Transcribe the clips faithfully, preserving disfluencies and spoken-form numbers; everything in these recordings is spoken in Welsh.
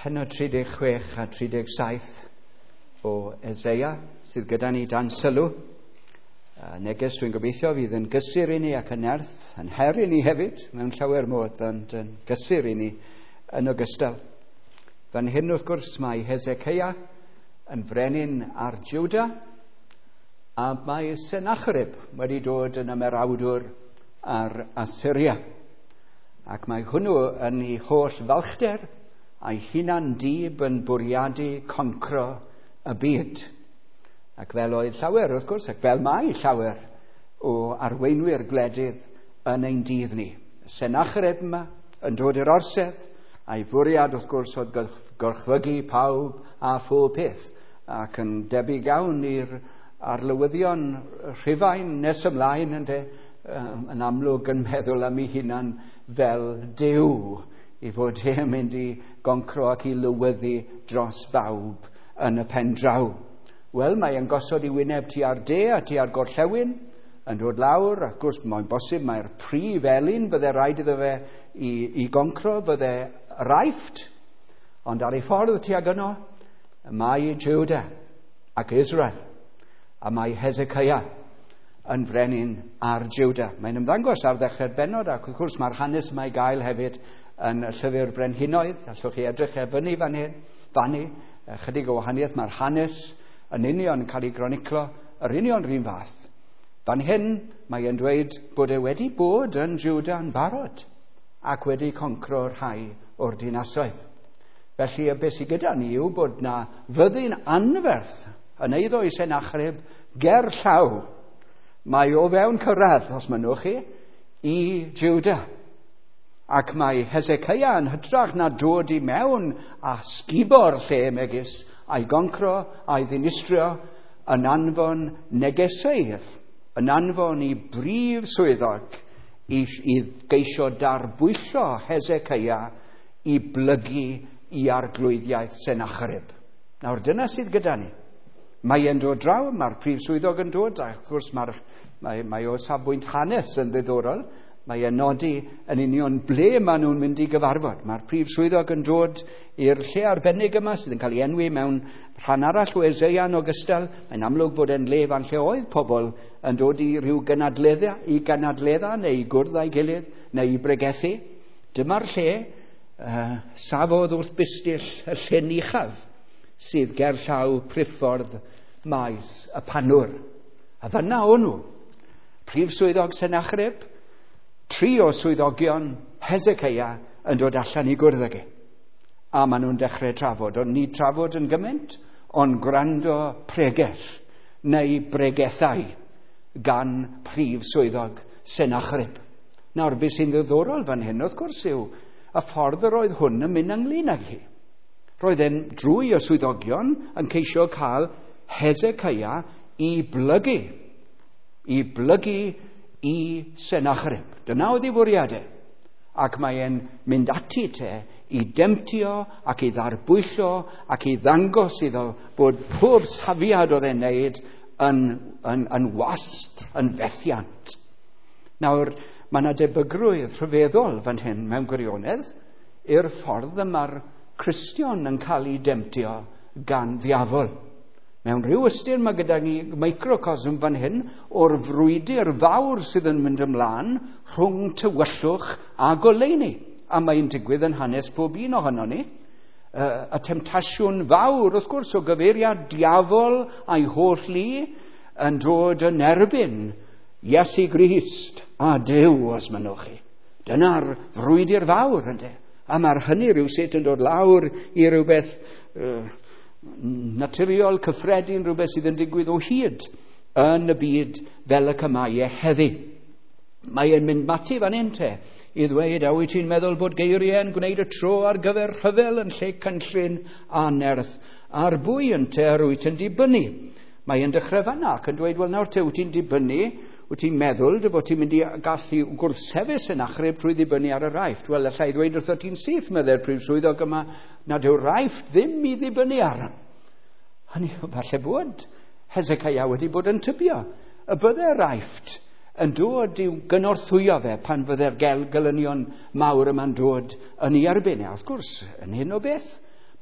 Pennod tri deg chwech a tri deg saith o Eseia sydd gyda ni dan sylw. Neges dwi'n gobeithio fydd yn gysur i ni ac yn nerth, yn her i ni hefyd, mewn llawer modd, ond yn gysur i ni yn ogystal. Fan hyn wrth gwrs mae Hezekiah yn frenin ar Juda, a mae Sennacherib wedi dod yn ymerawdwr ar Assyria. Ac mae hwnnw yn ei holl falchder a'i hunan dib yn bwriadu concro y byd. Ac fel oedd llawer, wrth gwrs, ac fel mae llawer o arweinwyr gwledydd yn ein dydd ni. Sennacherib yma yn dod i'r orsedd, a'i fwriad, wrth gwrs, oedd gorchfygu pawb a phob peth, ac yn debyg iawn i'r arlywyddion Rhufain nes ymlaen, ynde, yn amlwg yn meddwl am ei hunan fel Duw, i fod e'n mynd i goncro ac i lywyddu dros bawb yn y pen draw. Wel, mae e'n gosod i wyneb tua'r de a tua'r gorllewin, yn dod lawr, wrth gwrs, mae'n bosib mae'r prif elyn fydde rhaid iddo fe i, i goncro, fydde Aifft, ond ar ei ffordd tuag yno, mae Juda ac Israel, a mae Hezekiah yn frenin ar Juda. Mae'n ymddangos ar ddechrau'r bennod, ac wrth gwrs mae'r hanes yma i gael hefyd yn y llyfr Brenhinoedd. Allwch chi edrych e fyny fan hyn, fanny, chydig o wahaniaeth, mae'r hanes yn union yn cael ei groniclo, yr union rhywun fath. Fan hyn, mae e'n dweud bod e wedi bod yn Juda yn barod ac wedi concro rhai o'r dinasoedd. Felly, y beth sydd gyda ni yw bod na fyddin anferth yn eiddo i Sennacherib ger llaw. Mae o fewn cyrraedd, os mynnwch chi, i Juda. Ac mae Hezekiah yn hytrach na dod i mewn a sgubo'r lle megis, a'i goncro, a'i ddinistrio, yn anfon negeseudd, yn anfon i brif swyddog i, i geisio darbwyllo Hezekiah i blygu i arglwyddiaeth Sennacherib. Nawr dyna sydd gyda ni. Mae e'n dod draw, mae'r prif swyddog yn dod, a wrth gwrs mae'r, mae, mae o safbwynt hanes yn ddiddorol. Mae e'n nodi yn union ble maen nhw'n mynd i gyfarfod. Mae'r prif swyddog yn dod i'r lle arbennig yma sydd yn cael ei enwi mewn rhan arall o Eseia yn ogystal. Mae'n amlwg bod e'n le fan lle oedd pobl yn dod i ryw gynadledda, i gynadledda neu i gwrdd â'i gilydd neu i bregethu. Dyma'r lle uh, safodd wrth bistyll y llyn uchaf sydd ger llaw priffordd maes y Panwr. A fanna o'n nhw. Prif swyddog Sennacherib, tri o swyddogion Hezekiah yn dod allan i gwrdd ag e. A maen nhw'n dechrau trafod. Ond ni trafod yn gymaint, ond gwrando pregeth neu bregethau gan prif swyddog Sennacherib. Nawr, beth sy'n ddiddorol fan hyn, wrth gwrs, yw y ffordd yr oedd hwn yn mynd ynglyn ag hi. Roedd e'n drwy y swyddogion yn ceisio cael Hezekiah i blygu, i blygu i Sennacherib. Dyna oedd ei fwriadau. Ac mae e'n mynd ati te i demtio ac i ddarbwyllo ac i ddangos iddo bod pob safiad oedd e'n neud yn, yn, yn wast, yn fethiant. Nawr, mae yna debygrwydd rhyfeddol fan hyn mewn gwirionedd i'r ffordd y mae'r Cristion yn cael ei demtio gan ddiafol. Mewn rhyw ystyr mae gyda ni microcosm fan hyn o'r frwydr fawr sydd yn mynd ymlaen rhwng tywyllwch a goleuni. A mae'n digwydd yn hanes pob un ohono ni. Y temtasiwn fawr, wrth gwrs, o gyfeiriad diafol a'i holl lu yn dod yn erbyn Iesu Grist a Duw, os mynnwch chi. Dyna'r frwydr fawr, ynde? A mae'r hynny rhywsut yn dod lawr i rhywbeth uh, naturiol, cyffredin, rhywbeth sydd yn digwydd o hyd yn y byd fel y cymau e heddi. Mae e'n mynd mati fan hyn te i ddweud, a wyt ti'n meddwl bod geiriau yn gwneud y tro ar gyfer rhyfel yn lle cynllun a nerth ar bwy yn te yr wyt yn dibynnu? Mae e'n dechrau fanna ac yn dweud, wel nawr te, wyt ti'n dibynnu, wyt ti'n meddwl dy fod ti'n mynd i gallu gwrthsefyll Sennacherib trwy ddibynnu ar yr Aifft. Wel, allai ddweud wrtho ti'n syth, meddai'r prif swyddog yma, nad yw'r Aifft ddim i ddibynnu ar. Hynny, falle bod Hezekiah wedi bod yn tybio y bydde'r Aifft yn dod i'w gynorthwyo fe pan fydde'r gelynion mawr yma'n dod yn ei erbyn. A wrth gwrs, yn hyn o beth,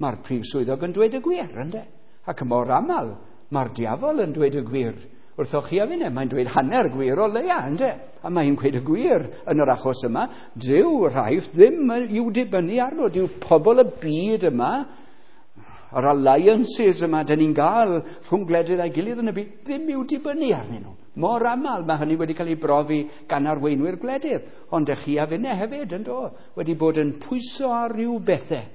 Mae'r prif swyddog yn dweud y gwir, ynde? Ac mor aml, mae'r diafol yn dweud y gwir. Wrthoch chi a finne, mae'n dweud hanner gwir o leia, ynde? A mae'n gweud y gwir yn yr achos yma. Dyw rhaid ddim i'w dibynnu arno. Dyw pobl y byd yma, yr alliances yma dyn ni'n gael rhwng gwledydd a'i gilydd yn y byd, ddim i'w dibynnu arnyn nhw. Mor aml mae hynny wedi cael ei brofi gan arweinwyr gwledydd. Ond ych chi a finne hefyd, yn do, wedi bod yn pwyso ar ryw bethau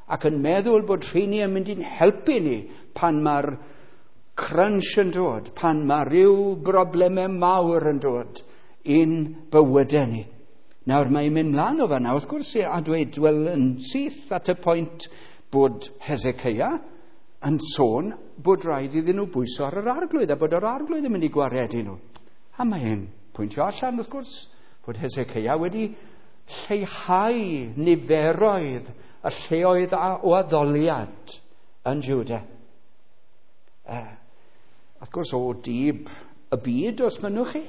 ac yn meddwl bod rheini yn mynd i'n helpu ni pan mae'r crunch yn dod, pan mae rhyw broblemau mawr yn dod i'n bywydau ni. Nawr mae'n mynd mlaen o fanna, wrth gwrs, a dweud, wel, yn syth at y pwynt bod Hezekiah yn sôn bod rhaid iddyn nhw bwyso ar yr arglwydd a bod yr arglwydd yn mynd i gwaredu nhw. A mae'n pwyntio allan, wrth gwrs, bod Hezekiah wedi lleihau niferoedd y lleoedd o addoliad yn Juda. Uh, wrth gwrs, o dib y byd, os mynnwch chi,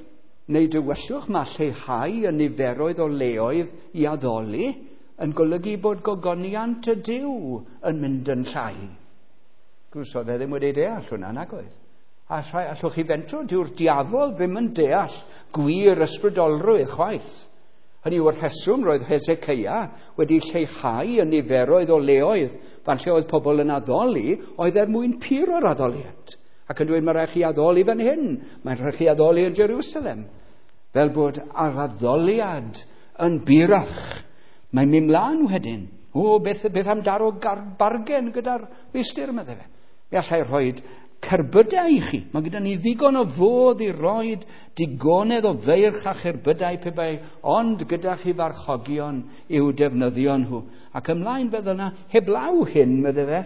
neu dywyllwch, mae lleihau y niferoedd o leoedd i addoli yn golygu bod gogoniant y Duw yn mynd yn llai. Gwrs, oedd e ddim wedi deall hwnna, nag oedd. A allwch chi fentro, dyw'r diafol ddim yn deall gwir ysbrydolrwydd chwaith. Hynny yw'r rheswm roedd Hezekiah wedi lleihau y niferoedd o leoedd fan lle oedd pobl yn addoli, oedd er mwyn puro'r addoliad. Ac yn dweud, mae rhaid chi addoli fan hyn, mae'n rhaid chi addoli yn Jerusalem. Fel bod yr addoliad yn burach. Mae'n mynd mlaen wedyn. O, beth, beth am daro bargen gyda'r meistr, meddai fe. Mi allai rhoi cerbydau i chi. Mae gyda ni ddigon o fodd i roi digonedd o feirch a cherbydau pe bai, ond gyda chi farchogion i'w defnyddio nhw. Ac ymlaen fel yna, heblaw hyn, meddai fe,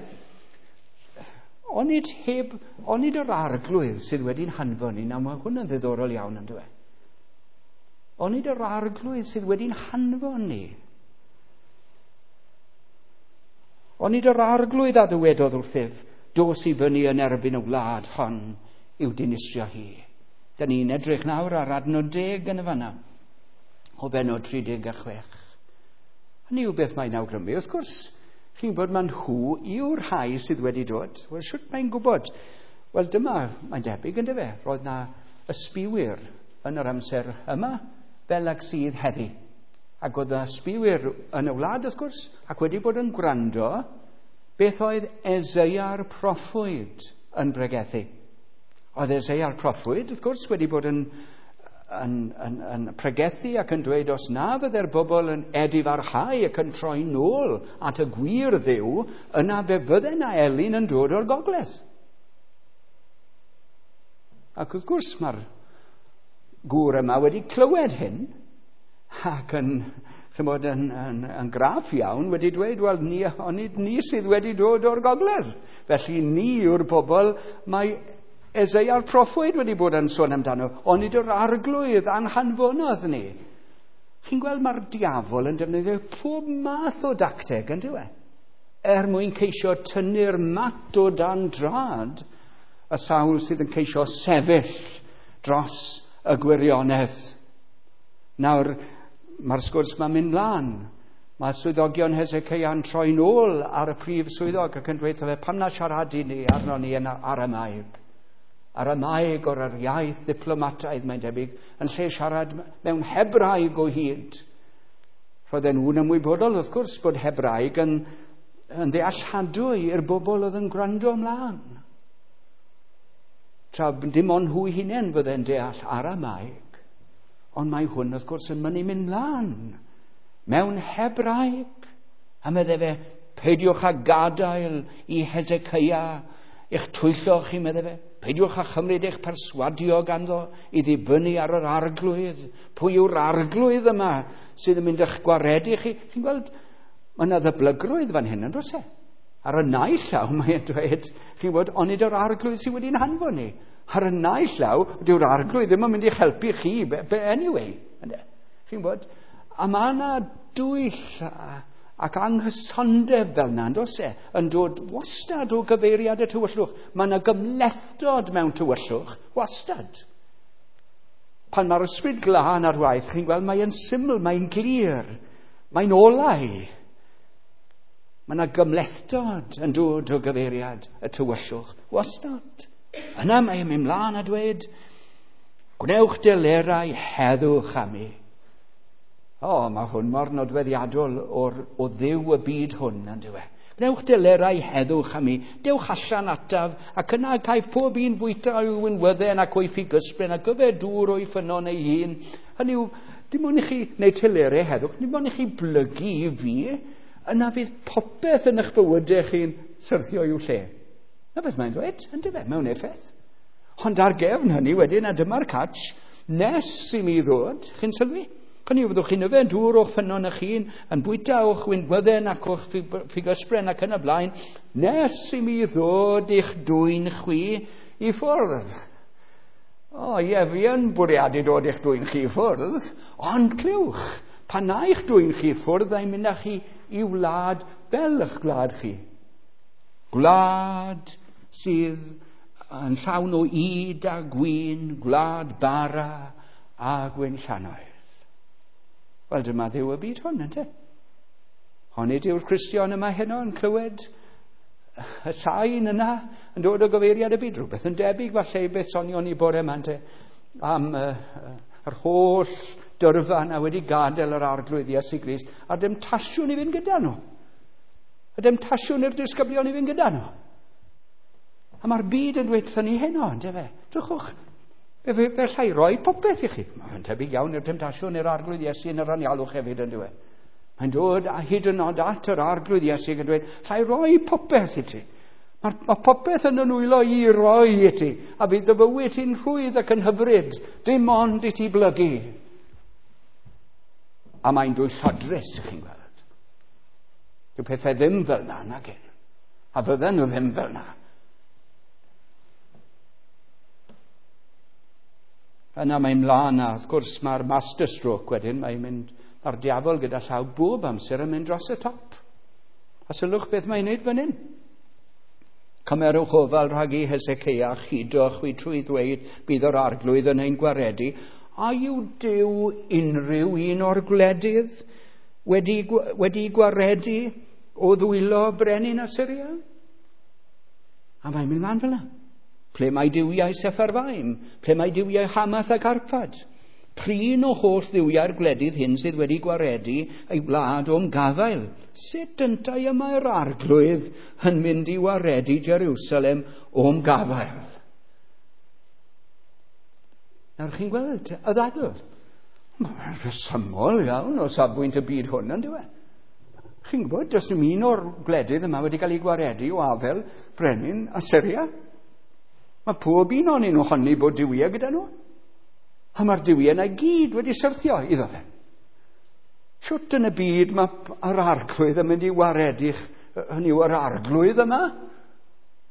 onid, heb, onid yr arglwydd sydd wedi'n hanfon ni, nawr mae hwn yn ddiddorol iawn yn dweud. Onid yr arglwydd sydd wedi'n hanfon ni. Onid yr arglwydd a ddywedodd wrthyf, dos i fyny yn erbyn y wlad hon i'w dinistrio hi. Da ni'n edrych nawr ar adnod deg yn y fanna, o bennod tri deg a chwech. Hynny yw beth mae'n awgrymu. Wrth gwrs, chi'n gwybod mae nhw yw'r rhai sydd wedi dod. Wel, shwt mae'n gwybod? Wel, dyma, mae'n debyg, yndyfe? Roedd na ysbiwyr yn yr amser yma, fel ag sydd heddi. Ac oedd y ysbiwyr yn y wlad, wrth gwrs, ac wedi bod yn gwrando beth oedd Eseia'r proffwyd yn bregethu. Oedd Eseia'r proffwyd, wrth gwrs, wedi bod yn, yn, yn, yn pregethu ac yn dweud os na fydde'r bobl yn edifarhau ac yn troi nôl at y gwir Dduw, yna fe fydde na elyn yn dod o'r gogledd. Ac wrth gwrs mae'r gŵr yma wedi clywed hyn ac yn, chymod, yn, yn, yn graff iawn wedi dweud, wel, ni, onid ni sydd wedi dod o'r gogledd. Felly ni yw'r bobl mae Eseia'r proffwyd wedi bod yn sôn amdano, onid yr arglwydd anhanfonodd ni. Chi'n gweld mae'r diafol yn defnyddio pob math o dacteg, yn dyw e? Er mwyn ceisio tynnu'r mat o dan drad y sawl sydd yn ceisio sefyll dros y gwirionedd. Nawr, mae'r sgwrs ma'n mynd mlaen. Mae swyddogion Hezekiah'n troi nôl ar y prif swyddog ac yn dweud fe, pam na siaradu ni arno ni yn Aramaeg? Aramaeg o'r yr iaith ddiplomataidd, mae'n debyg, yn lle siarad mewn Hebraeg o hyd. Roedden nhw'n ymwybodol, wrth gwrs, bod Hebraeg yn, yn ddealladwy i'r bobl oedd yn gwrando ymlaen. Tra dim ond nhw hunain fydde'n deall Aramaeg. Ond mae hwn, wrth gwrs, yn mynd i mynd mlaen mewn Hebraeg. A meddai fe, peidiwch â gadael i Hezekiah eich twyllo chi, meddai fe. Peidiwch â chymryd eich perswadio ganddo i ddibynnu ar yr arglwydd. Pwy yw'r arglwydd yma sydd yn mynd eich gwaredu chi? Chi'n gweld, mae yna ddyblygrwydd fan hyn, yn does e? Ar y naill llaw mae'n dweud, chi'n gwybod, onid yr arglwydd sydd wedi'n hanfon ni. Ar y naill llaw, dyw'r arglwydd ddim yn mynd i'ch helpu chi, anyway. Chi'n gwybod, a mae yna dwyll ac anghysondeb fel yna, yn does e, yn dod wastad o gyfeiriad y tywyllwch. Mae yna gymhlethdod mewn tywyllwch, wastad. Pan mae'r ysbryd glân ar waith, chi'n gweld, mae'n syml, mae'n glir, mae'n olau. Mae yna gymhlethdod yn dod o gyfeiriad y tywyllwch. Wastad. Yna mae'n mynd mlaen a dweud, gwnewch delerau heddwch â mi. O, mae hwn mor nodweddiadol o'r, o Dduw y byd hwn, yn dyw e. Gwnewch delerau heddwch â mi, dewch allan ataf, ac yna caiff pob un fwyta o'i winwydden ac o'i ffigysbren ac yfed dŵr o'i ffynnon ei hun. Hynny yw, dim ond i chi wneud telerau heddwch, dim ond i chi blygu i fi, yna fydd popeth yn eich bywydau chi'n syrthio i'w lle. Na beth mae'n dweud, yn dyfe, mewn effaith. Ond ar gefn hynny wedyn, a dyma'r catch, nes i mi ddod, chi'n sylwi? Hynny yw, fyddwch chi'n yfed dŵr o'ch ffynnon eich hun, yn bwyta o'ch winwydden ac o'ch ffigysbren ac yn y blaen, nes i mi ddod i'ch dwyn chwi i ffwrdd. O, ie, fi yn bwriadu dod i'ch dwyn chi i ffwrdd, ond clywch, pan na i'ch dwyn chi i ffwrdd, a'i mynd â chi i wlad fel eich gwlad chi. Gwlad sydd yn llawn o ŷd a gwin, gwlad bara a gwinllannoedd. Wel, dyma Dduw y byd hwn, ynte? Onid yw'r Cristion yma heno yn clywed y sain yna yn dod o gyfeiriad y byd? Rhywbeth yn debyg falle i beth sonion ni bore yma, ynte? Am uh, yr holl dyrfa yna wedi gadael yr Arglwydd Iesu Grist a'r demtasiwn i fynd gyda nhw. Y demtasiwn i'r disgyblion i fynd gyda nhw. A mae'r byd yn dweud wrthon ni heno, ynte fe? Drychwch, fe, fe, fe allai roi popeth i chi. Mae'n tebyg iawn i'r temtasiwn i'r Arglwydd Iesu yn yr anialwch hefyd, yn dyw e. Mae'n dod a hyd yn oed at yr Arglwydd Iesu ac yn dweud, allai roi popeth i ti. Mae, mae popeth yn y nwylo i roi i ti, a fydd dy fywyd ti'n rhwydd ac yn hyfryd, dim ond i ti blygu. A mae'n dwyllodrus, chi'n gweld. Dyw pethau ddim fel na, nag un. A fydden nhw ddim fel na. Yna mae'n mlaen, a wrth gwrs mae'r master stroke wedyn, mae'n mynd, mae'r diafol gyda llaw bob amser yn mynd dros y top. A sylwch beth mae'n neud fan hyn. Cymerwch ofal rhag i Heseceia chudo chwi trwy ddweud bydd yr Arglwydd yn ein gwaredu. A yw Duw unrhyw un o'r gwledydd wedi, wedi gwaredu o ddwylo brenin Asyria? A mae'n mynd mlaen fel yna. Ple mae duwiau Sepharfaim? Ple mae duwiau Hamath ac Arpad? Prin o holl dduwiau'r gwledydd hyn sydd wedi gwaredu ei wlad o'm gafael. Sut yntau y mae'r Arglwydd yn mynd i waredu Jerusalem o'm gafael? Nawr chi'n gweld y ddadl. Mae'n rhesymol iawn o safbwynt y byd hwn, yn dyw e? Chi'n gwybod, does dim un o'r gwledydd yma wedi cael ei gwaredu o afel brenin Asyria. Mae pob un o'n nhw honni bod duwiau gyda nhw. A mae'r duwiau yna i gyd wedi syrthio iddo fe. Shwt yn y byd mae yr Arglwydd yn mynd i waredu, hynny yw yr Arglwydd yma,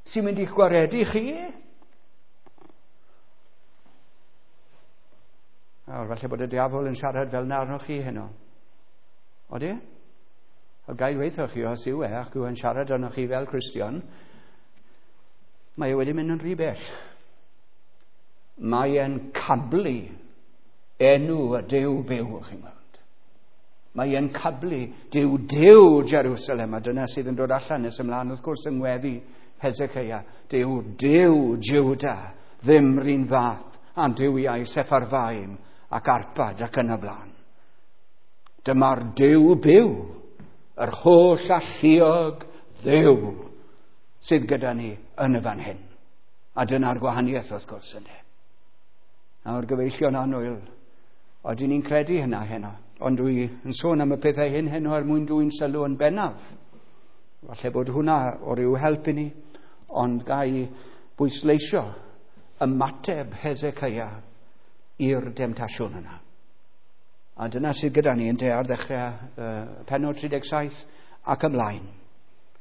sy'n mynd i'ch gwaredu chi? Nawr, falle bod y diafol yn siarad fel na arnoch chi heno. Odi? A gai weithio chi os yw e, ac yw e'n siarad arnoch chi fel Cristion, mae e wedi mynd yn rhy bell. Mae e'n cablu enw y Duw byw, chi'n gweld. Mae e'n cablu Duw Duw Jerusalem, a dyna sydd yn dod allan nes ymlaen, wrth gwrs, yng ngweddi Heseceia. Duw Duw Juda, ddim run fath a duwiau Sepharfaim ac Arpad ac yn y blaen. Dyma'r Duw byw, yr holl alluog Dduw sydd gyda ni yn y fan hyn. A dyna'r gwahaniaeth, wrth gwrs, ynddo. Nawr, gyfeillion annwyl, odyn ni'n credu hynna heno, ond dwi yn sôn am y pethau hyn heno er mwyn dwyn sylw yn bennaf. Falle bod hwnna o ryw help i ni, ond gai bwysleisio ymateb Heseceia i'r demtasiwn yna. A dyna sydd gyda ni ynte ar ddechrau uh, pennod tri deg saith ac ymlaen.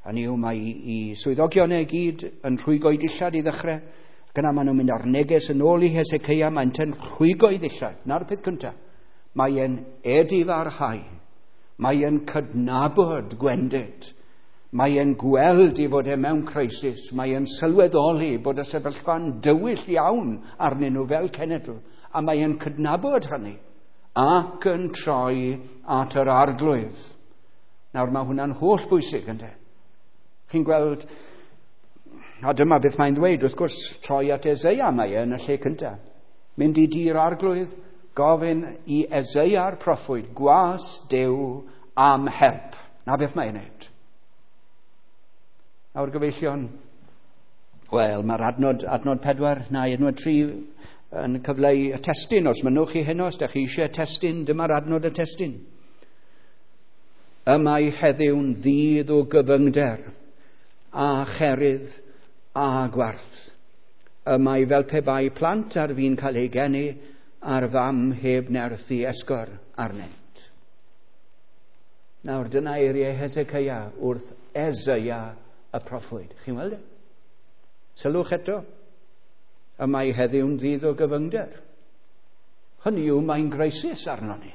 Hynny yw, mae i swyddogion e gyd yn rhwygo'i dillad i ddechrau, ac yna maen nhw'n mynd ar neges yn ôl i Heseceia, mae'n yn rhwygo'i ddillad. Na'r peth cyntaf. Mae e'n edifarhau. Mae e'n cydnabod gwendid. Mae e'n gweld i fod e mewn crisis. Mae e'n sylweddoli bod y sefyllfa'n dywyll iawn arnyn nhw fel cenedl. A mae e'n cydnabod hynny ac yn troi at yr Arglwydd. Nawr mae hwnna'n holl bwysig, ynde? Chi'n gweld, a dyma beth mae'n ddweud, wrth gwrs, troi at Eseia mae e yn y lle cyntaf. Mynd i dŷ'r arglwydd, gofyn i Eseia'r proffwyd, gwas Duw am help. Na beth mae'n wneud. Nawr gyfeillion, wel, mae'r adnod, adnod pedwar, na, adnod tri yn cyfleu y testun. Os mynnwch chi heno, os ydych chi eisiau testun, dyma'r adnod y testun. Y mae heddiw'n ddydd o gyfyngder a cherydd a gwarth. Y mae fel pe bai plant ar fin cael eu geni a'r fam heb nerth i esgor arnynt. Nawr, dyna eiriau Hezekiah wrth Eseia y proffwyd. Chi'n weld e? Sylwch eto, y mae heddiw'n ddydd o gyfyngder. Hynny yw, mae'n greisis arno ni.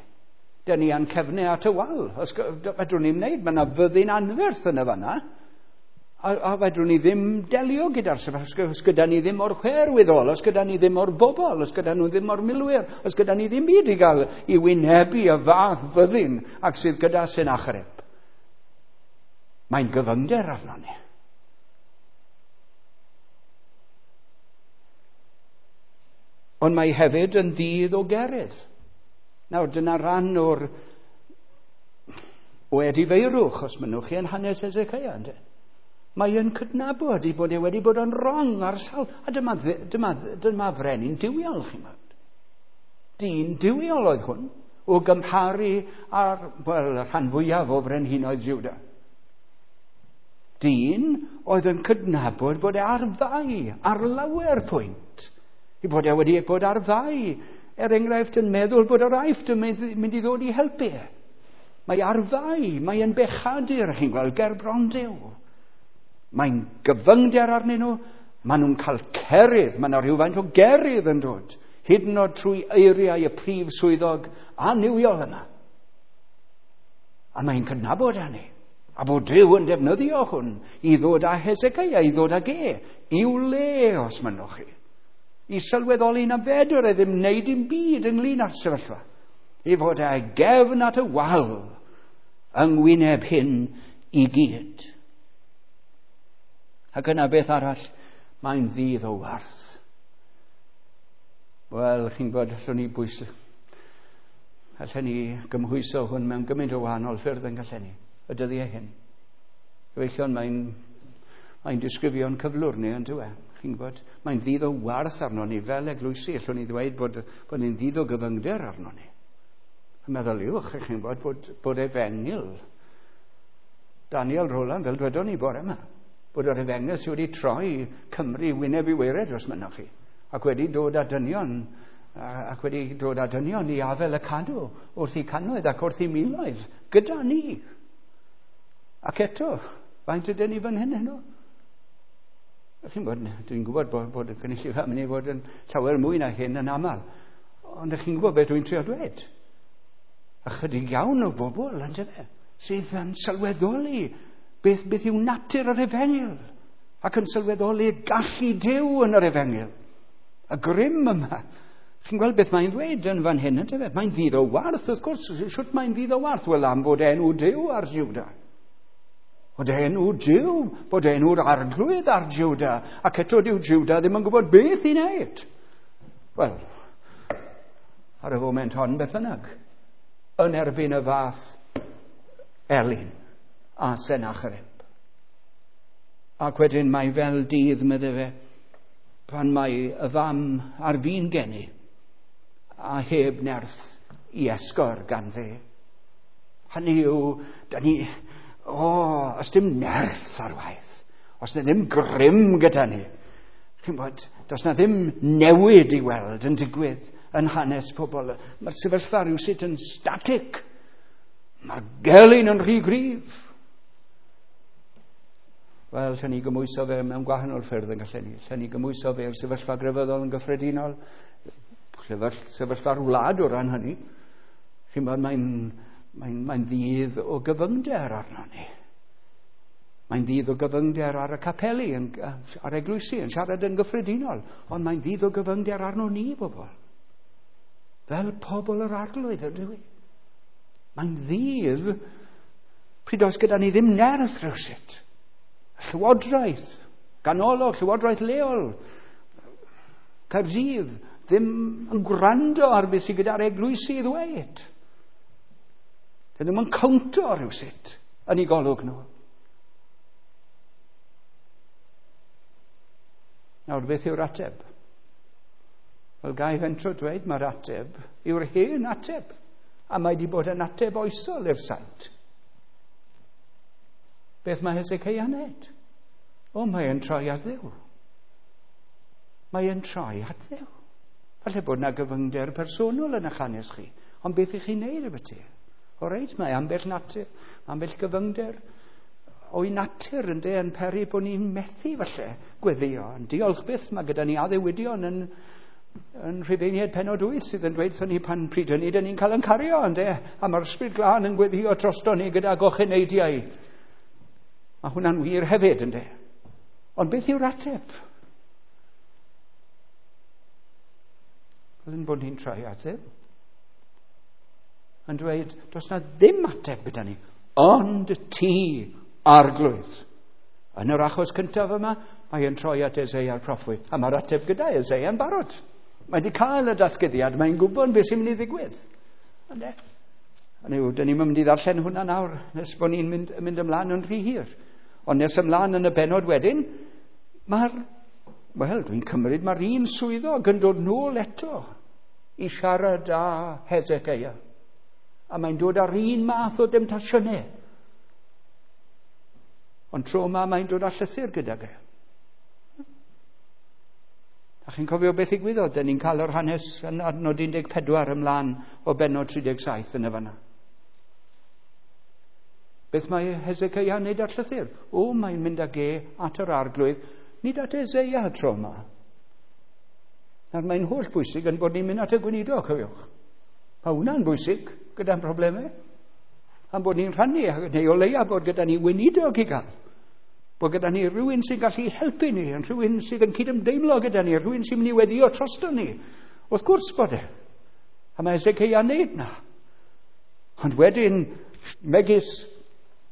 Dyn ni a'n cefnau at y wal. Os fedrwn ni'n wneud, mae yna fyddin anferth yn y fanna. A, a fedrwn ni ddim delio gyda'r sefyllfa, os gyda ni ddim o'r chwerwyddol, os gyda ni ddim o'r bobl, os gyda nhw ddim o'r milwyr, os gyda ni ddim byd i gael i wynebu y fath fyddin ac sydd gyda Sennacherib. Mae'n gyfyngder arno ni. Ond mae hefyd yn ddydd o gerydd. Nawr, dyna ran o'r o edifeirwch, os mynnwch chi, yn hanes Hezekiah, ynde? Mae e'n cydnabod i bod e wedi bod yn wrong ar sawl. A dyma, dyma, dyma frenin duwiol, chi'n gweld. Dyn duwiol oedd hwn, o gymharu â'r, wel, y rhan fwyaf o frenhinoedd Juda. Dyn oedd yn cydnabod bod e ar fai, ar lawer pwynt. I bod e wedi bod ar fai, er enghraifft yn meddwl bod yr Aifft yn mynd i ddod i helpu. Mae ar fai, mae yn bechadur, chi'n gweld, ger bron Duw. Mae'n gyfyngder arnyn nhw, maen nhw'n cael cerydd, mae yna rhywfaint o gerydd yn dod, hyd yn oed trwy eiriau y prif swyddog annuwiol yma. A mae'n cydnabod hynny, a bod Duw yn defnyddio hwn i ddod â Hezekiah, i ddod ag e, i'w le, os mynnwch chi. I sylweddoli na fedr e ddim wneud dim byd ynglyn â'r sefyllfa. I fod e gefn at y wal yng ngwyneb hyn i gyd. Ac yna beth arall, mae'n ddydd o warth. Wel, chi'n gwybod, allwn ni bwys, allwn ni gymhwyso hwn mewn gymaint o wahanol ffyrdd yn gallen ni, y dyddiau hyn. Gyfeillion, mae'n mae'n disgrifio'n cyflwr ni, yn dyw e? Chi'n gwybod, mae'n ddydd o warth arno ni fel eglwysi. Allwn ni ddweud bod, bod ni'n ddydd o gyfyngder arno ni. Meddyliwch, chi'n gwybod, bod, bod efengyl Daniel Rowland, fel dwedon ni bore yma, bod yr efengyl sydd wedi troi Cymru wyneb i waered, os mynnwch chi, ac wedi dod â dynion, ac wedi dod â dynion i afel y cadw wrth i cannoedd ac wrth i miloedd gyda ni. Ac eto, faint ydyn ni fan hyn heno? Chi'n bod, dwi'n gwybod bod, bod y gynulleidfa yn mynd i fod yn llawer mwy na hyn yn aml, ond ych chi'n gwybod beth dwi'n trio dweud? Ychydig iawn o bobl, yndyfe, sydd yn sylweddoli beth, beth yw natur yr efengyl, ac yn sylweddoli gallu Duw yn yr efengyl. Y grym yma. Chi'n gweld beth mae'n ddweud yn fan hyn, yndyfe? Mae'n ddydd o warth, wrth gwrs. Shwt mae'n ddydd o warth? Wel, am fod enw Duw ar Juda. Bod enw Duw, bod enw'r arglwydd ar Juda, ac eto dyw Juda ddim yn gwybod beth i wneud. Wel, ar y foment hon, beth bynnag, yn erbyn y fath elyn a Sennacherib. Ac wedyn mae fel dydd, medde fe, pan mae y fam ar fin geni a heb nerth i esgor ganddi. Hynny yw, da ni, o, oh, os dim nerth ar waith, os na ddim grym gyda ni, chi'n bod, does na ddim newid i weld yn digwydd yn hanes pobl. Mae'r sefyllfa rhywsut yn static. Mae'r gelyn yn rhy gryf. Wel, lle ni gymwyso fe mewn gwahanol ffyrdd yn gallen ni. Lle ni gymwyso fe i'r sefyllfa grefyddol yn gyffredinol, sefyllfa'r wlad o ran hynny. Chi'n bod, mae'n mae'n, mae'n ddydd o gyfyngder arno ni. Mae'n ddydd o gyfyngder ar y capeli, yn, ar eglwysi, yn siarad yn gyffredinol, ond mae'n ddydd o gyfyngder arno ni, bobl. Fel pobl yr arglwydd, ydw i. Mae'n ddydd pryd oes gyda ni ddim nerth rhywsut. Llywodraeth ganolog, Llywodraeth leol, Caerdydd, ddim yn gwrando ar beth sydd gyda'r eglwysi i ddweud. Dyn ddim yn cownto rhywsut yn ei golwg nhw. Nawr, beth yw'r ateb? Wel, gai fentro dweud mae'r ateb yw'r hen ateb, a mae wedi bod yn ateb oesol i'r saint. Beth mae Heseceia'n neud? O, mae e'n troi at Dduw. Mae e'n troi at Dduw. Falle bod yna gyfyngder personol yn eich hanes chi, ond beth ych chi'n neud efo ti? O reit, mae ambell natur, ambell gyfyngder o'i natur ynde yn peri bod ni'n methu falle gweddio. Ond diolch byth, mae gyda ni addewidion yn, yn Rhufeiniaid pennod wyth sydd yn dweud wrthon ni pan pryd hynny dyn ni'n cael yn cario ynde, a mae'r Ysbryd Glân yn gweddio drosto ni gyda gocheneidiau. Mae hwnna'n wir hefyd ynde. Ond beth yw'r ateb? Fel yn bod ni'n troi at Dduw. Yn dweud, does na ddim ateb gyda ni, ond ti, Arglwydd. Yn yr achos cyntaf yma, mae e'n troi at Eseia'r proffwyd, a mae'r ateb gyda Eseia yn barod. Mae wedi cael y datguddiad, mae'n gwybod beth sy'n mynd i ddigwydd. Ynde? Hynny yw, dyn ni'n mynd i ddarllen hwnna nawr, nes bod ni'n mynd, mynd ymlaen yn rhy hir. Ond nes ymlaen yn y bennod wedyn, mae'r, wel, dwi'n cymryd, mae'r un swyddog yn dod nôl eto i siarad â Heseceia. A mae'n dod â'r un math o demtasiynau. Ond tro yma mae'n dod â llythyr gydag e. A chi'n cofio beth ddigwyddodd? Dyn ni'n cael yr hanes yn adnod un deg pedwar ymlaen o bennod tri deg saith yn y fanna. Beth mae Heseceia'n neud â'r llythyr? O, mae'n mynd ag e at yr Arglwydd, nid at Eseia tro yma. Nawr mae'n holl bwysig yn bod ni'n mynd at y gweinidog, cofiwch. Mae hwnna'n bwysig gyda'n problemau. Am bod ni'n rhannu, neu o leia bod gyda ni weinidog i gael. Bod gyda ni rhywun sy'n gallu helpu ni, yn rhywun sydd yn cydymdeimlo gyda ni, rhywun sy'n mynd i weddio drosto ni. Wrth gwrs bod e. A mae Heseceia'n neud na. Ond wedyn, megis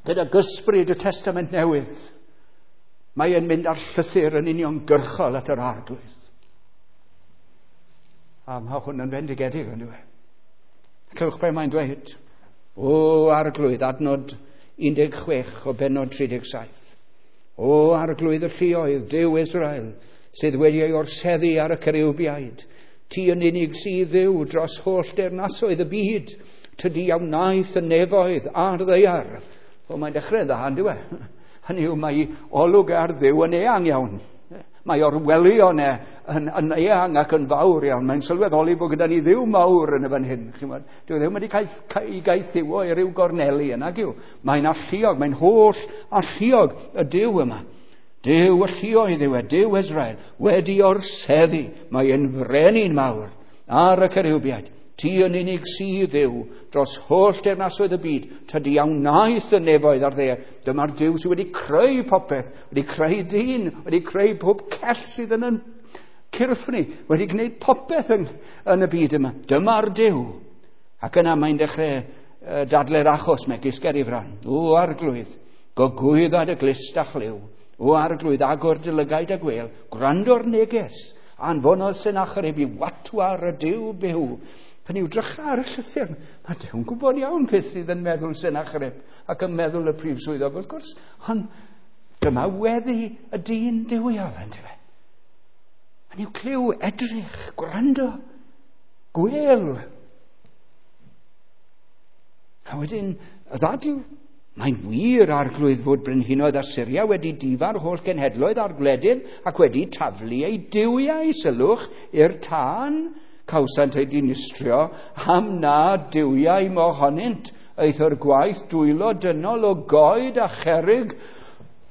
gyda gysbryd y Testament Newydd, mae e'n mynd â'r llythyr yn uniongyrchol at yr Arglwydd. A mae hwn yn fendigedig, yn dyw e. Clywch be mae'n dweud. O Arglwydd, adnod un deg chwech o bennod tri deg saith. O Arglwydd y lluoedd, Duw Israel, sydd wedi ei orseddu ar y ceriwbiaid. Ti yn unig sydd Dduw dros holl deyrnasoedd y byd. Tydi a wnaeth y nefoedd a'r ddaear. O, mae'n dechrau dda, yn dyw e? Hynny yw, mae olwg ar Dduw yn eang iawn. Mae orwelion e yn, yn eang ac yn fawr iawn. Mae'n sylweddoli bod gyda ni Dduw mawr yn y fan hyn. Dyw e ddim wedi cael ei gaethiwo i ryw gorneli yna, gyw. Mae'n alluog, mae'n holl alluog y Duw yma. Duw y lluoedd yw e, Duw Israel, wedi orseddu. Mae'n frenin mawr ar y ceriwbiaid. Ti yn unig sydd Dduw dros holl deyrnasoedd y byd. Tydi a wnaeth y nefoedd a'r ddaear. Dyma'r Duw sydd wedi creu popeth, wedi creu dyn, wedi creu pob cell sydd yn yn cyrff ni, wedi gwneud popeth yn, yn y byd yma. Dyma'r Duw. Ac yna mae'n dechrau uh, dadle'r achos megis ger ei fron. O Arglwydd, gogwydda dy glust a chlyw. O Arglwydd, agor dy lygaid a gwel. Gwrando'r neges. Anfonodd Sennacherib i watwar y Duw byw. Pan yw drycha ar y llythyr, mae Duw'n gwybod iawn beth sydd yn meddwl Sennacherib ac yn meddwl y prif swyddog, wrth gwrs, ond dyma weddi y dyn duwiol, yndyfe. Pan yw clyw, edrych, gwrando, gwel. A wedyn, y ddadl, mae'n wir Arglwydd fod brenhinoedd Asyria wedi difa'r holl genhedloedd a'r gwledydd ac wedi taflu eu duwiau, sylwch, i'r tân. Cawsant eu dinistrio am na duwiau mohonynt, eithr gwaith dwylo dynol o goed a cherrig,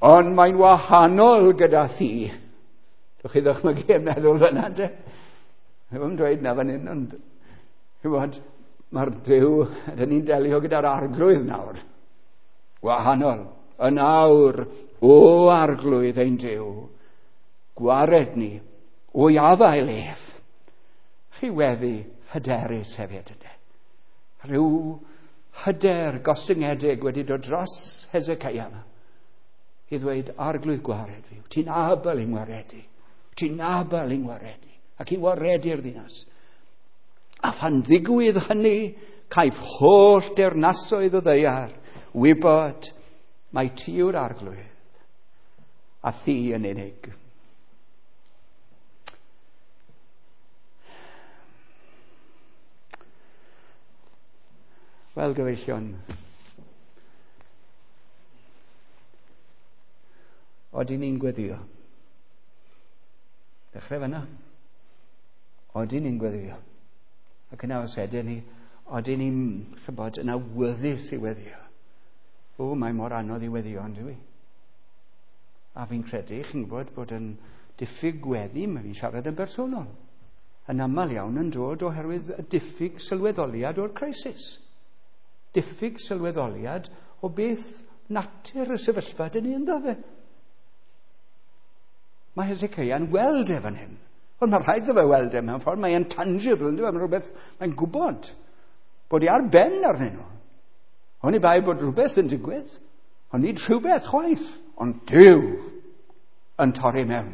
ond mae'n wahanol gyda thi. Dwch chi ddychmygu yn meddwl fyna, de? Ddim dweud na fan hyn, ond ch'mod, mae'r Duw, dyn ni'n delio gyda'r Arglwydd nawr. Wahanol. Yn awr, o Arglwydd ein Duw, gwared ni o'i afael ef. Chi weddi hyderus hefyd, ynddo. Rhyw hyder gostyngedig wedi dod dros Heseceia yma. I ddweud, Arglwydd gwared fi, ti'n abl i'n waredu, ti'n abl i'n waredu, ac i waredu'r ddinas. A phan ddigwydd hynny, caiff holl deyrnasoedd y ddaear wybod mai ti yw'r Arglwydd, a thi yn unig. Wel, gyfeillion, odyn ni'n gweddio? Dechrau fyna. Odyn ni'n gweddio? Ac yna os ydyn ni, odyn ni'n, chybod, yn awyddus i weddio? O, mae mor anodd i weddio, ond dwi. A fi'n credu, chi'n gwybod, bod yn diffyg gweddi, mae fi'n siarad yn bersonol, yn aml iawn yn dod oherwydd y diffyg sylweddoliad o'r crisis. Diffyg sylweddoliad o beth natur y sefyllfa dyn ni ynddo fe. Mae Hezekiah'n weld e fan hyn. Ond mae rhaid iddo fe weld e mewn ffordd. Mae'n tangible, ynddo fe? Mae'n rhywbeth, mae'n gwybod bod i ar ben arnyn nhw. Oni bai bod rhywbeth yn digwydd, ond nid rhywbeth chwaith, ond Duw yn torri mewn.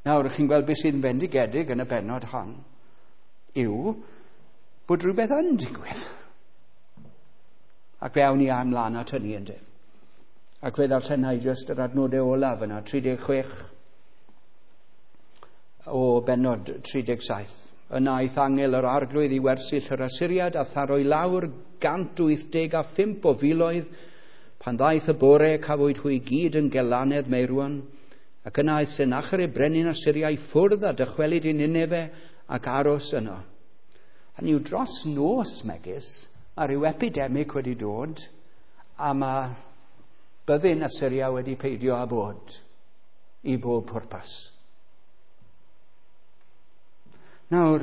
Nawr, chi'n gweld beth sydd yn bendigedig yn y bennod hon yw bod rhywbeth yn digwydd. Ac fe awn ni ymlaen at hynny, ynddo. Ac fe ddarllenai jyst yr adnodau olaf yna, tri deg chwech o bennod tri deg saith. Yna aeth angel yr Arglwydd i wersyll yr Asyriad a tharoi lawr gant wyth deg a phump o filoedd. Pan ddaeth y bore, cafwyd hwy gyd yn gelanedd meirwon. Ac yna aeth Sennacherib brenin Asyria i ffwrdd a dychwelyd i Nineve ac aros yno. Hynny yw, dros nos megis, mae rhyw epidemig wedi dod a mae byddin Asyria wedi peidio â bod i bob pwrpas. Nawr,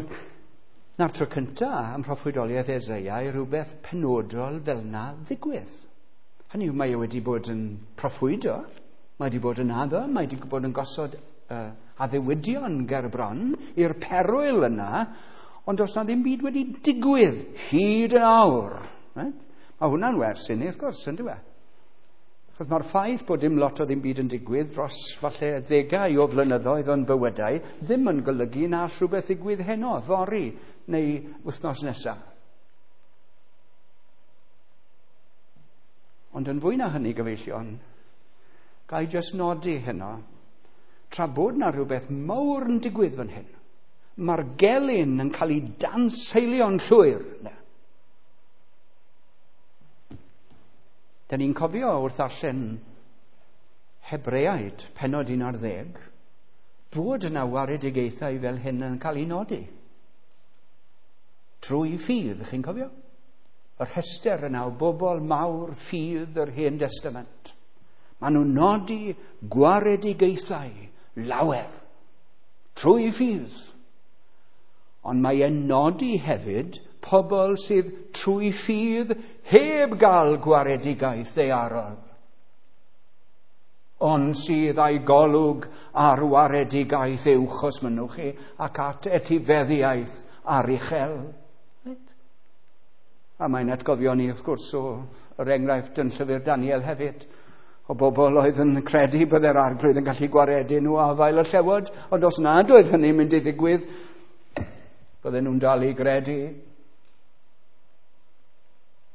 na'r tro cyntaf am proffwydoliaeth Eseia i rhywbeth penodol fel na ddigwydd. Hynny yw, mae e wedi bod yn proffwydo, mae wedi bod yn addo, mae wedi bod yn gosod uh, addewidion ger bron i'r perwyl yna, ond does na ddim byd wedi digwydd hyd yn awr. Right? Mae hwnna'n wers i ni, wrth gwrs, yn dyw e? Achos mae'r ffaith bod dim lot o ddim byd yn digwydd dros falle ddegau o flynyddoedd o'n bywydau ddim yn golygu na all rhywbeth ddigwydd heno, fory neu wythnos nesaf. Ond yn fwy na hynny, gyfeillion, ga i jyst nodi heno, tra bod na rhywbeth mawr yn digwydd fan hyn, mae'r gelyn yn cael ei danseilio'n llwyr. Ne. Da ni'n cofio wrth darllen Hebreaid, pennod un ar ddeg, bod yna waredigaethau fel hyn yn cael ei nodi. Trwy ffydd, chi'n cofio? Yr rhestr yna o bobl mawr ffydd yr Hen Testament. Maen nhw'n nodi gwaredigaethau lawer trwy ffydd. Ond mae e'n nodi hefyd pobl sydd trwy ffydd heb gael gwaredigaeth ddaearol, ond sydd â'i golwg ar waredigaeth uwch, os mynnwch chi, ac at etifeddiaeth aruchel. Right? A mae'n atgofio ni, wrth gwrs, o yr enghraifft yn llyfr Daniel hefyd, o bobl oedd yn credu byddai'r Arglwydd yn gallu gwaredu nhw afael y llewod, ond os nad oedd hynny'n mynd i ddigwydd, bydden nhw'n dal i gredu.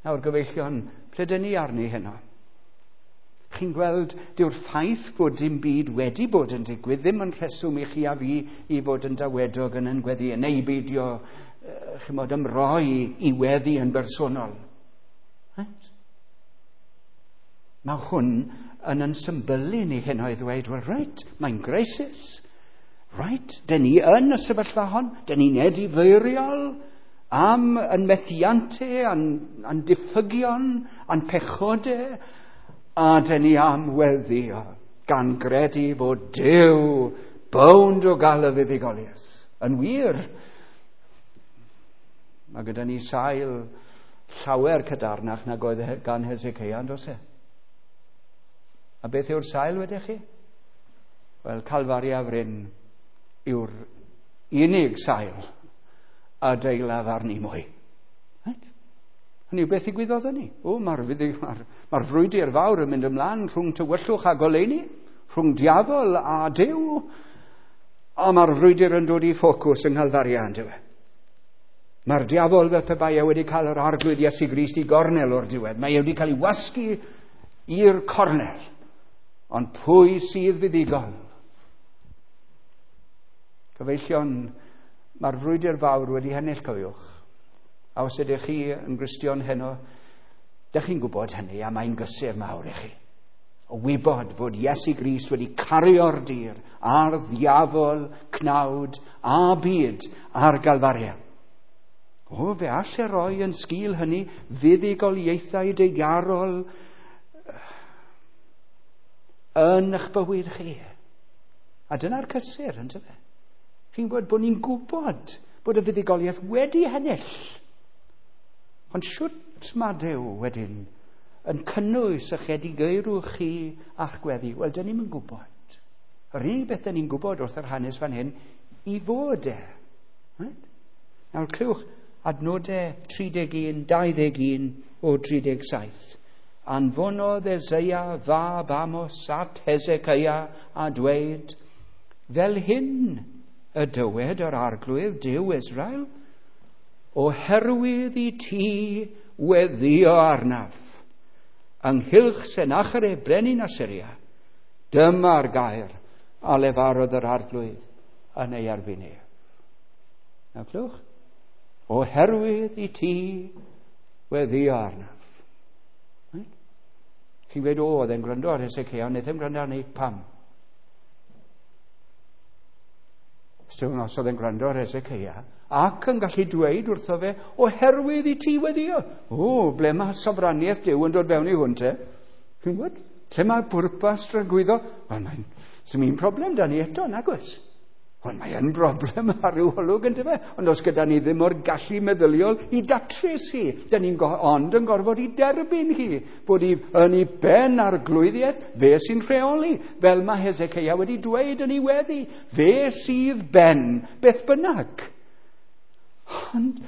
Nawr, gyfeillion, ple dyn ni arni heno? Chi'n gweld, dyw'r ffaith bod dim byd wedi bod yn digwydd ddim yn rheswm i chi a fi i fod yn dawedog yn yn gweddi, neu beidio, chimod, ymroi i weddi yn bersonol. Right? Mae hwn yn yn symbylu ni heno i ddweud, wel, reit, mae'n crisis. Right, dyn ni yn y sefyllfa hon, dyn ni'n edifeiriol am yn methiantau, a'n, a'n diffygion, a'n pechodau, a dyn ni am weddio, gan gredu fod Duw bownd o gael y fuddugoliaeth. Yn wir, mae gyda ni sail llawer cadarnach nag oedd gan Hezekiah, yn does e? A beth yw'r sail wedych chi? Wel, Calfaria Fryn yw'r unig sail a deilaf arni mwy. Right? Hynny yw, beth ddigwyddodd hynny? O, mae'r ma ma frwydr fawr yn mynd ymlaen rhwng tywyllwch a goleuni, rhwng diafol a Duw, a mae'r frwydr yn dod i ffocws yng Nghalfaria, yndyw e? Mae'r diafol fel pe bai e wedi cael yr Arglwydd Iesu Grist i gornel o'r diwedd. Mae e wedi cael ei wasgu i'r cornel. Ond pwy sydd fuddugol? Cyfeillion, mae'r frwydr fawr wedi hennill, cofiwch. A os ydych chi yn Gristion heno, dych chi'n gwybod hynny, a mae'n gysur mawr i chi. O wybod fod Iesu Grist wedi cario'r dir a'r ddiafol, cnawd a byd ar Galfaria. O, fe all e roi yn sgil hynny fuddugoliaethau deigarol yn eich bywyd chi. A dyna'r cysur, yndyfe? Chi'n gwybod bod ni'n gwybod bod y fuddugoliaeth wedi hennill. Ond siwt mae Duw wedyn yn cynnwys eich edifeirwch chi a'ch gweddi? Wel, dyn ni'm yn gwybod. Yr unig beth dyn ni'n gwybod wrth yr hanes fan hyn, i fod e. Right? Nawr, clywch adnodau tri deg un, dau ddeg un o tri deg saith. Anfonodd Eseia fab Amos at Hezekiah a dweud, fel hyn y dywed yr Arglwydd Duw Israel, oherwydd i ti weddio arnaf, ynghylch Sennacherib brenin Asyria, dyma'r gair a lefarodd yr Arglwydd yn ei erbyn ef. Nawr clywch, oherwydd i ti weddio arnaf. Right? Chi'n gweud, o, oedd e'n gwrando ar Hezekiah, ond wnaeth e'n gwrando arni, pam? Os oedd e'n gwrando ar Hezekiah, ac yn gallu dweud wrtho fe, oherwydd i ti weddio. O, ble mae sofraniaeth Duw yn dod fewn i hwn te? Chi'n gwybod? Lle mae pwrpas dragwyddo? Wel, mae'n sy'n un problem da ni eto, nag oes? Wel, mae yn broblem ar ryw olwg, yndyfe? Ond os gyda ni ddim o'r gallu meddyliol i datrys hi, da ni'n go- ond yn gorfod i derbyn hi, bod i yn ei ben arglwyddiaeth, fe sy'n rheoli, fel mae Hezekiah wedi dweud yn ei weddi, fe sydd ben, beth bynnag. Ond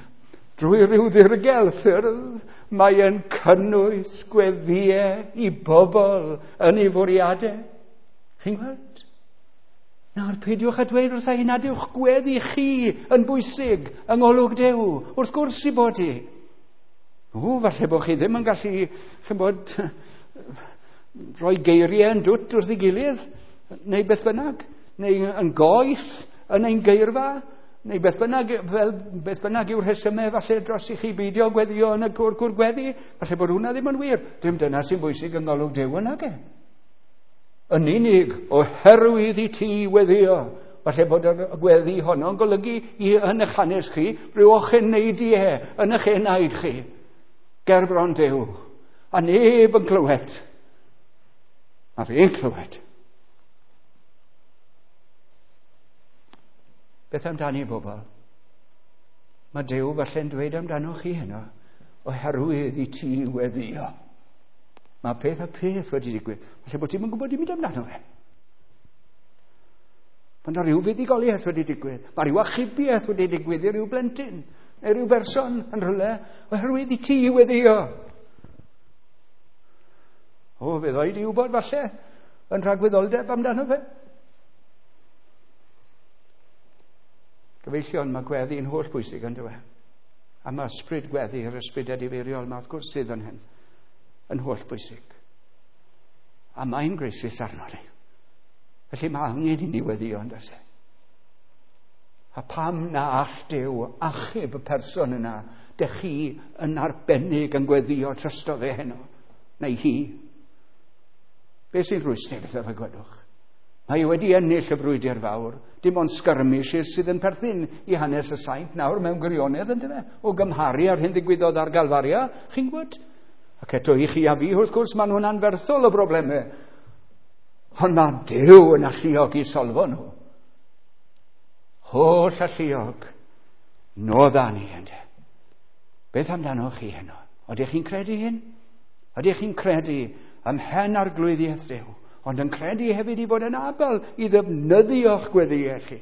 drwy ryw ddirgel ffyrdd, mae yn cynnwys gweddïau i bobl yn ei fwriadau. Chi'n gweld? Nawr, peidiwch a dweud wrtha i nad yw'ch gweddi chi yn bwysig yng ngolwg Duw. Wrth gwrs i bod i. O, falle bod chi ddim yn gallu, chi'n bod, rhoi geiriau yn dwt wrth ei gilydd, neu beth bynnag, neu yn goeth yn ein geirfa, neu beth bynnag, fel beth bynnag yw'r rhesymau falle dros i chi beidio gweddio yn y cwr cwr gweddi, falle bod hwnna ddim yn wir. Dim dyna sy'n bwysig yng ngolwg Duw yn ag e. Yn unig oherwydd i ti weddio. Falle bod y gweddi honno'n golygu i yn eich hanes chi rhyw ocheneidiau yn eich enaid chi ger bron Duw. A neb yn clywed. A fi'n clywed. Beth amdani bobl? Mae Duw falle'n dweud amdano chi heno, oherwydd i ti weddio. Mae peth a peth wedi digwydd. Falle bod ti'n yn gwybod i mynd amdano fe. Mae yna rhyw fuddugoliaeth wedi digwydd. Mae rhyw achubiaeth wedi digwydd i ryw blentyn, neu rhyw berson yn rhywle, oherwydd i ti weddio. O, fe ddoi di wybod falle yn rhagwyddoldeb amdano fe. Gyfeillion, mae gweddi yn holl bwysig yn dywe. A mae ysbryd gweddi, yr ysbryd edifeiriol, mae wrth gwrs sydd yn hyn, yn holl bwysig. A mae'n greisus arno ni. Felly mae angen i ni weddio, yn does e? A pam na all Duw achub y person yna, dych chi yn arbennig yn gweddio drosto fe heno, neu hi? Be sy'n rhwystredig wrtho fe, gwedwch? Mae e wedi ennill y frwydr fawr. Dim ond skirmishes sydd yn perthyn i hanes y saint nawr mewn gwirionedd, yndyfe? O gymharu ar hyn ddigwyddodd ar Galfaria, chi'n gwybod? Ac eto i chi a fi, wrth gwrs, maen nhw'n anferthol o broblemau. Ond mae Duw yn alluog i solfo nhw. Holl alluog, nodda ni, ynde. Beth amdano chi heno? Ydych chi'n credu hyn? Ydych chi'n credu ym mhen arglwyddiaeth Duw? Ond yn credu hefyd i fod yn abl i ddefnyddio'ch gweddïau chi,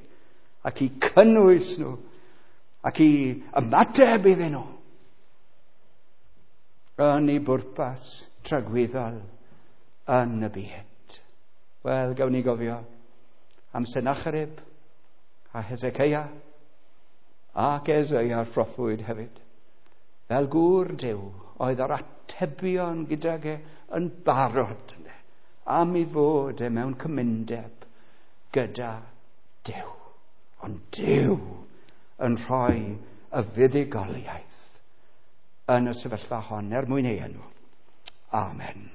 ac i cynnwys nhw, ac i ymateb iddyn nhw. yn ei bwrpas tragwyddol yn y byd. Wel, gawn ni gofio am Sennacherib a Hezekiah ac Esaia'r proffwyd hefyd. Fel gŵr Duw oedd yr atebion gydag e yn barod yna, am ei fod e mewn cymundeb gyda Duw. Ond Duw yn rhoi y fuddugoliaeth yn y sefyllfa hon er mwyn ei enw. Amen.